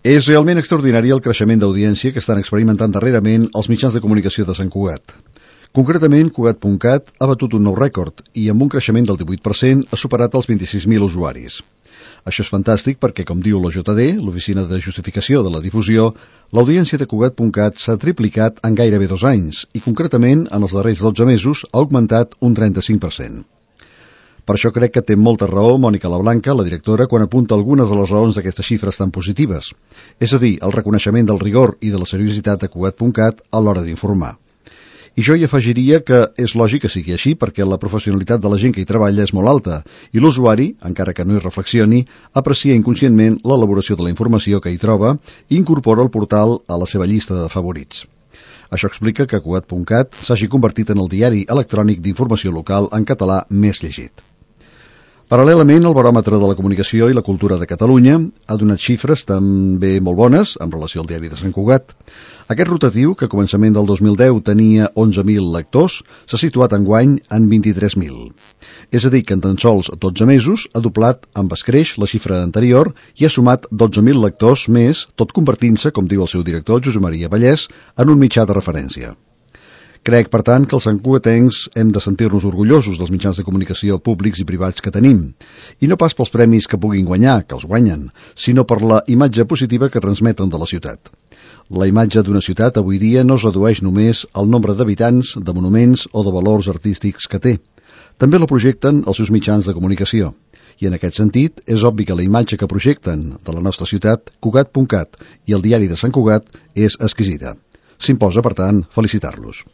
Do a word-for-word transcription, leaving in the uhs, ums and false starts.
És realment extraordinari el creixement d'audiència que estan experimentant darrerament els mitjans de comunicació de Sant Cugat. Concretament, Cugat punt cat ha batut un nou rècord i amb un creixement del divuit per cent ha superat els vint-i-sis mil usuaris. Això és fantàstic perquè, com diu l'O J D, l'Oficina de Justificació de la Difusió, l'audiència de Cugat punt cat s'ha triplicat en gairebé dos anys i, concretament, en els darrers dotze mesos ha augmentat un trenta-cinc per cent. Per això crec que té molta raó Mònica Lablanca, la directora, quan apunta algunes de les raons d'aquestes xifres tan positives, és a dir, el reconeixement del rigor i de la seriositat de Cugat punt cat a l'hora d'informar. I jo hi afegiria que és lògic que sigui així perquè la professionalitat de la gent que hi treballa és molt alta i l'usuari, encara que no hi reflexioni, aprecia inconscientment l'elaboració de la informació que hi troba i incorpora el portal a la seva llista de favorits. Això explica que Cugat punt cat s'hagi convertit en el diari electrònic d'informació local en català més llegit. Paral·lelament, el Baròmetre de la Comunicació i la Cultura de Catalunya ha donat xifres també molt bones en relació al diari de Sant Cugat. Aquest rotatiu, que a començament del dos mil deu tenia onze mil lectors, s'ha situat enguany en vint-i-tres mil. És a dir, que en tan sols dotze mesos ha doblat amb escreix la xifra anterior i ha sumat dotze mil lectors més, tot convertint-se, com diu el seu director, Josep Maria Vallès, en un mitjà de referència. Crec, per tant, que els santcugatencs hem de sentir-nos orgullosos dels mitjans de comunicació públics i privats que tenim, i no pas pels premis que puguin guanyar, que els guanyen, sinó per la imatge positiva que transmeten de la ciutat. La imatge d'una ciutat avui dia no es redueix només al nombre d'habitants, de monuments o de valors artístics que té. També la projecten els seus mitjans de comunicació. I en aquest sentit, és obvi que la imatge que projecten de la nostra ciutat, Cugat punt cat i el diari de Sant Cugat, és exquisita. S'imposa, per tant, felicitar-los.